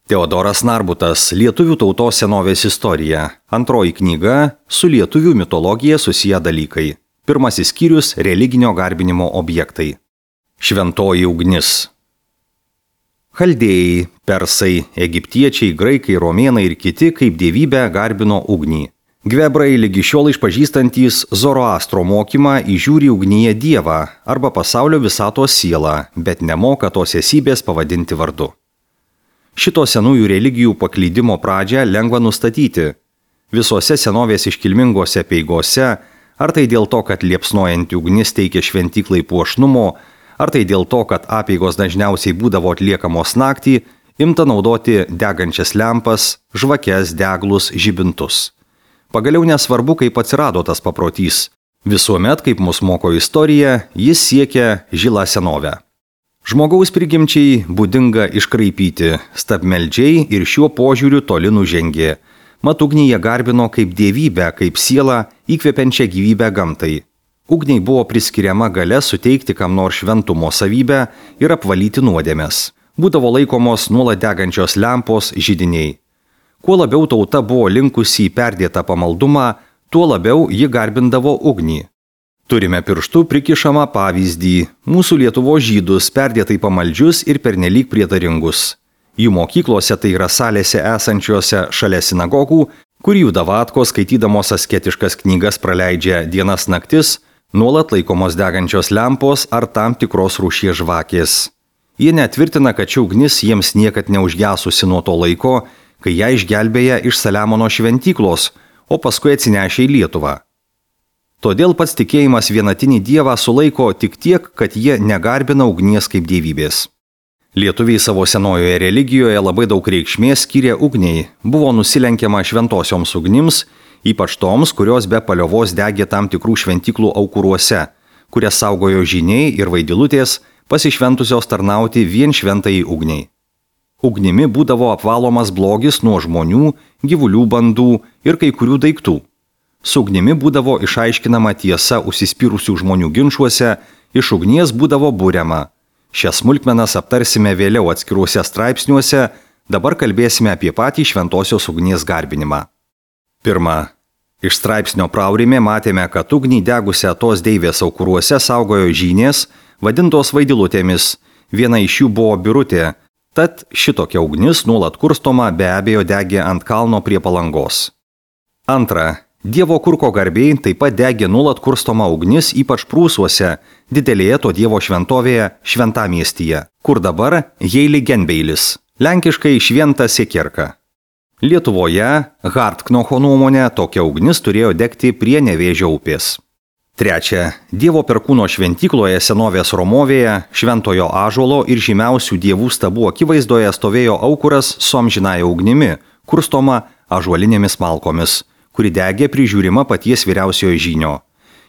Teodoras Narbutas, Lietuvių tautos senovės istorija. Antroji knyga su lietuvių mitologija susiję dalykai. Pirmasis skyrius – religinio garbinimo objektai. Šventoji ugnis. Chaldėjai, persai, egiptiečiai, graikai, romėnai ir kiti kaip dievybę garbino ugnį. Gvebrai lygi šiol išpažįstantys Zoroastro mokymą įžiūri ugnyje dievą arba pasaulio visatos sielą, bet nemoka tos esybės pavadinti vardu. Šito senųjų religijų paklydimo pradžią lengva nustatyti. Visose senovės iškilmingose peigose, ar tai dėl to, kad liepsnojanti ugnis teikia šventyklai puošnumo, ar tai dėl to, kad apeigos dažniausiai būdavo atliekamos naktį, imta naudoti degančias lempas, žvakes, deglus, žibintus. Pagaliau nesvarbu, kaip atsirado tas paprotys. Visuomet, kaip mus moko istorija, jis siekia žilą senovę. Žmogaus prigimčiai būdinga iškraipyti, stabmeldžiai ir šiuo požiūriu toli nužengė. Mat ugnį jie garbino kaip dievybę, kaip sielą, įkvepiančią gyvybę gamtai. Ugniai buvo priskiriama galia suteikti kam nors šventumo savybę ir apvalyti nuodėmes. Būdavo laikomos nuolat degančios lempos židiniai. Kuo labiau tauta buvo linkusi į perdėtą pamaldumą, tuo labiau ji garbindavo ugnį. Turime pirštų prikišamą pavyzdį – mūsų Lietuvos žydus perdėtai pamaldžius ir pernelyg prietaringus. Jų mokyklose, tai yra salėse esančiose šalia sinagogų, kur jų davatkos skaitydamos asketiškas knygas praleidžia dienas naktis, nuolat laikomos degančios lempos ar tam tikros rūšies žvakės. Jie netvirtina, kad ši ugnis jiems niekad neužgesusi nuo to laiko, kai ją išgelbėja iš Saliamono šventyklos, o paskui atsinešė į Lietuvą. Todėl pats tikėjimas vienatinį dievą sulaiko tik tiek, kad jie negarbina ugnies kaip dievybės. Lietuviai savo senojoje religijoje labai daug reikšmės skyrė ugniai, buvo nusilenkiama šventosioms ugnims, ypač toms, kurios be paliovos degė tam tikrų šventyklų aukuruose, kurias saugojo žyniai ir vaidilutės, pasišventusios tarnauti vien šventai ugniai. Ugnimi būdavo apvalomas blogis nuo žmonių, gyvulių bandų ir kai kurių daiktų. Su ugnimi būdavo išaiškinama tiesa užsispyrusių žmonių ginčuose, iš ugnies būdavo buriama. Šias smulkmenas aptarsime vėliau atskiruose straipsniuose, dabar kalbėsime apie patį šventosios ugnies garbinimą. Pirma. Iš straipsnio praurime matėme, kad ugnį degusią tos deivės aukuruose saugojo žynės, vadintos vaidilutėmis, viena iš jų buvo birutė, tad šitokia ugnis nuolat kurstoma be abejo degė ant kalno prie Palangos. Antra. Dievo kurko garbėjai taip pat degė nuolat kurstoma ugnis, ypač Prūsuose, didelėje to dievo šventovėje Šventamiestyje, kur dabar Heiligenbeilis, lenkiškai Šventa Sekierka. Lietuvoje, Hartknocho nuomonė, tokia ugnis turėjo degti prie Nevėžio upės. Trečia. Dievo perkūno šventykloje senovės Romovėje, šventojo ąžuolo ir žymiausių dievų stabų akivaizdoje stovėjo aukuras su amžinąja ugnimi, kurstoma ąžuolinėmis malkomis, kuri degė prižiūrima paties vyriausiojo žynio.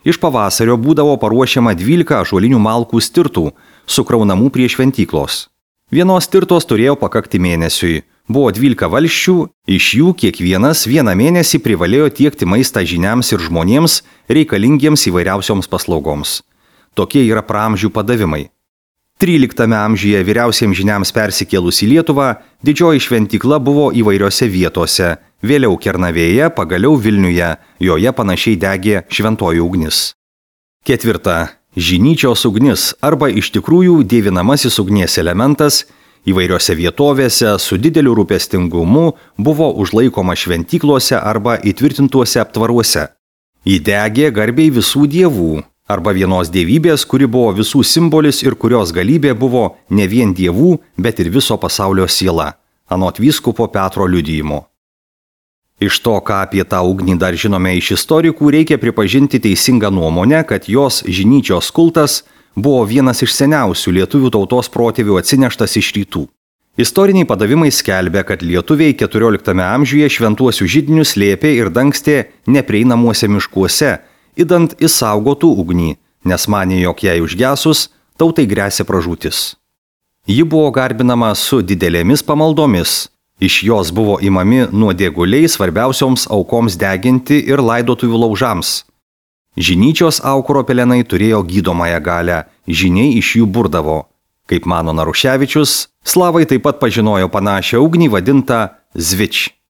Iš pavasario būdavo paruošiama 12 ąžuolinių malkų stirtų, sukraunamų prie šventyklos. Vienos stirtos turėjo pakakti mėnesiui. Buvo 12 valsčių, iš jų kiekvienas vieną mėnesį privalėjo tiekti maistą žyniams ir žmonėms reikalingiems įvairiausioms paslaugoms. Tokie yra praamžių padavimai. 13 amžiuje vyriausiems žyniams persikėlus į Lietuvą, didžioji šventykla buvo įvairiose vietose, vėliau Kernavėje, pagaliau Vilniuje, joje panašiai degė šventoji ugnis. Ketvirta. Žinyčios ugnis arba iš tikrųjų dievinamasis ugnies elementas įvairiose vietovėse su dideliu rūpestingumu buvo užlaikoma šventyklose arba įtvirtintuose aptvaruose. Ji degė garbiai visų dievų arba vienos dievybės, kuri buvo visų simbolis ir kurios galybė buvo ne vien dievų, bet ir viso pasaulio siela, anot vyskupo Petro liudijimo. Iš to, ką apie tą ugnį dar žinome iš istorikų, reikia pripažinti teisingą nuomonę, kad jos žinyčios kultas buvo vienas iš seniausių lietuvių tautos protėvių atsineštas iš rytų. Istoriniai padavimai skelbia, kad lietuviai 14 amžiuje šventuosius židinius slėpė ir dangstė neprieinamuose miškuose, idant išsaugotų ugnį, nes manė, jog jai užgesus, tautai gresia pražūtis. Ji buvo garbinama su didelėmis pamaldomis. Iš jos buvo imami nuodėguliai svarbiausioms aukoms deginti ir laidotuvių laužams. Žinyčios aukuro pelenai turėjo gydomąją galią, žyniai iš jų burdavo. Kaip mano Naruševičius, Slavai taip pat pažinojo panašią ugnį vadintą zvič.